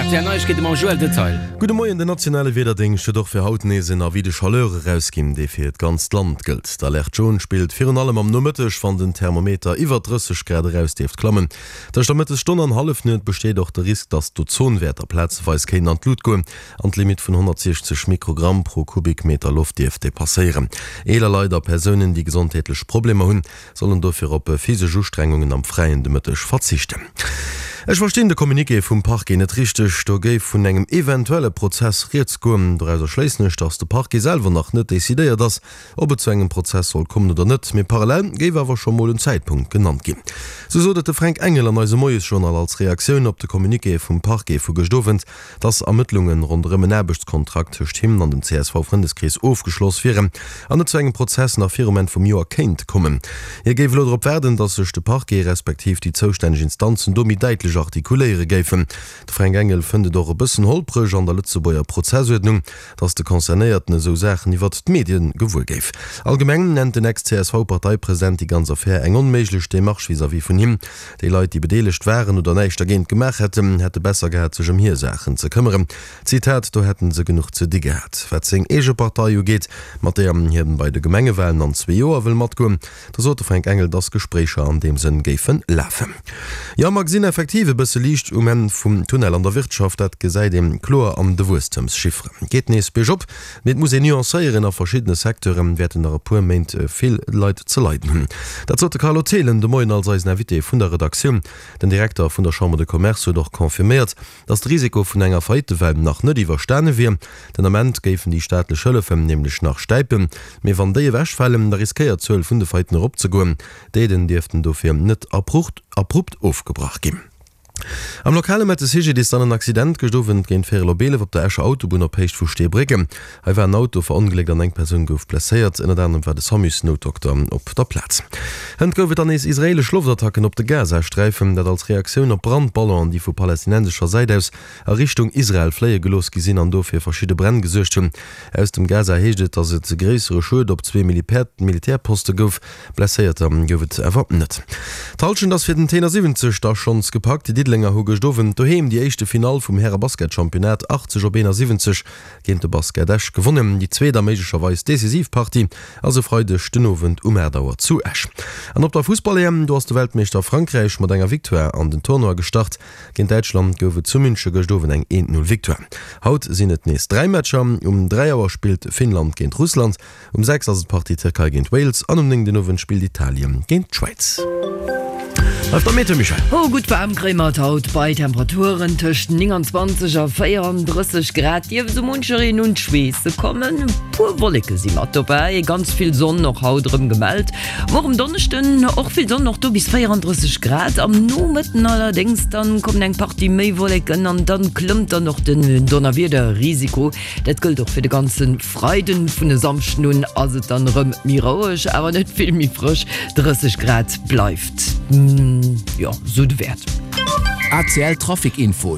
Rtl Neiegkeete mam Joël Detail. Gudde Moien, Den nationale Wiederdéngscht huet och fir haut nees en Avis de chaleur erausginn, dee fir d'ganzt Land gëllt. D'Alerte jaune spillt virun allem am Nomëtteg, wann den Thermometer iwwer 30 Grad eraus dierft klammen. Tëscht der Mëttesstonn an Hallefnuet besteet och de Risk, dass d'Ozonwäerter plazeweis kéinten an d'Lut goen an d'Limitt vun 160 Mikrogramm pro Kubikmeter Loft dierft depasséieren. Eeler Leit a Persounen, déi gesondheetlech Problemer hunn, sollen dofir op physesch Ustrengungen am Fräien de Mëtteg verzichten. Ech verstinn de Communiqué vum Parquet net richteg. Do géif vun engem eventuelle Prozess rieds goen. Dorauser schléissen ech, datt de Parquet selwer nach net decidéiert ass, ob et zu engem Prozess soll kommen oder net. Mee parallel géif awer scho mol en Zäitpunkt genannt ginn. Sou sot et de Fränk Engel an eisem Moiesjournal als Reaktioun op de Communiqué vum Parquet vu gëscht Owend. dass Ermëttlunge ronderëm en Aarbechtskontrakt tëscht him an dem CSV-Frëndeskrees ofgeschloss wieren an et zu engem Prozess nach virum Enn vum Joer kéint kommen. Hie géif elo drop waarden, dass sech de Parquet respektiv déi zoustänneg Instanzen do méi däitlech artikuléiere géifen. De Fränk Engel fënnt et och e bëssen holpreg an der Lëtzebuerger Prozessuerdnung, dass de Concernéierten esou Saachen iwwert d'Medien gewuer géif. Allgemeng nennt den Ex-CSV-Parteipresident déi ganz Affär eng onméiglech Demarche vis-à-vis vun him. Déi Leit, déi bedeelegt waren oder näischt dergéint gemaach hätten, hätte besser gehat, sech ëm hir Saachen ze këmmeren. Zitat, Do hätten se genuch ze di gehat. Wat seng eege Partei ugeet, mat deeër hien bei de Gemengewalen an zwee Joer wëll matgoen, do sot de Fränk Engel, dass Gespréicher an deem Sënn géife lafen. Jo, mer gesinn effektiv e bësse Liicht um Enn vum Tunnel an der Wirtschaft. Dat gesäit ee kloer an de Wuesstemschifferen. Geet nees biergop. Mee et muss een nuancéieren, a verschiddene Secteure wäerten nach e puer Méint vill Leit ze leiden hunn. Dat sot de Carlo Thelen de Moien als eisen Invité vun der Redaktioun. Den Direkter vun der Chambre de Commerce huet och confirméiert, datt de Risiko vun enger Faillitewell nach net iwwerstane wier. Den Ament géifen déi staatlech Hëllefen nämlech nach stäipen. Mee wann déi ewechfalen, da riskéiert d'Zuel vun de Faillitten eropzegoen. D'Aiden dierften dofir net abrupt ofgebrach ginn. Am Lokale mellt de CGDIS dann en Accident gëscht Owend géint véierel op 11 op der Escher Autobunn op Héicht vu Steebrécken. Hei war en Auto verongléckt an eng Persoun gouf blesséiert. Ënnert anerem war de Samus-Noutdokter op der Plaz. Hënt gouf et dann nees israeelesch Loftattacken op de Gazasträifen, dat als Reaktioun op Brandballonen, déi vu palästinensescher Säit aus a Richtung Israel fléie gelooss gi sinn an do fir verschidde Bränn gesuergt hunn. Aus dem Gaza heescht et, datt et gréissere Schued op zwee Militärposte gouf. Blesséierter gouf et awer net. D'Hallschent ass fir den Tenor 70 da schonns gepackt. Déi Diddelenger hu gëscht Owend doheem déi éischte Finall vum Häre-Basket-Championnat 80 op 71 géint de Basket Esch gewonnen. Déi zweet a méiglecherweis decisiv Partie ass e Freideg den Owend um 8 Auer zu Esch. An op der Fussball-EM, do ass de Weltmeeschter Frankräich mat enger Victoire an den Tournoi gestart. Géint Däitschland gouf et zu Münche gëscht Owend eng 1, 0 Victoire. Haut sinn et nees 3 Matcher. Um 3 Auer spillt Finnland géint Russland. Um 6 ass et d'Partie Tierkei géint Wales an um 9 den Owend spillt Italien géint d'Schwäiz. Bleift am Meteo, Michèle. Oh, gutt waarm kréie mer et haut bei Temperaturen tëscht 29 a 34 Grad. Dierf esou munchereen un d'Schweesse kommen. E puer Wolleke si mat dobäi, ganz vill Sonn och haut erëm gemellt. Muer um Donneschden och vill Sonn, och do bis 34 Grad. Am Nomëtten allerdéngs dann kommen eng Partie méi Wolleken an dann klëmmt dann och den Donnerwiederrisiko. Dat gëllt och fir de ganze Freiden. Vun e Samschden un ass et dann erëm méi roueg, awer net vill méi frësch, 30 Grad bleift jo sou de Wäert. ACL Trafic Info.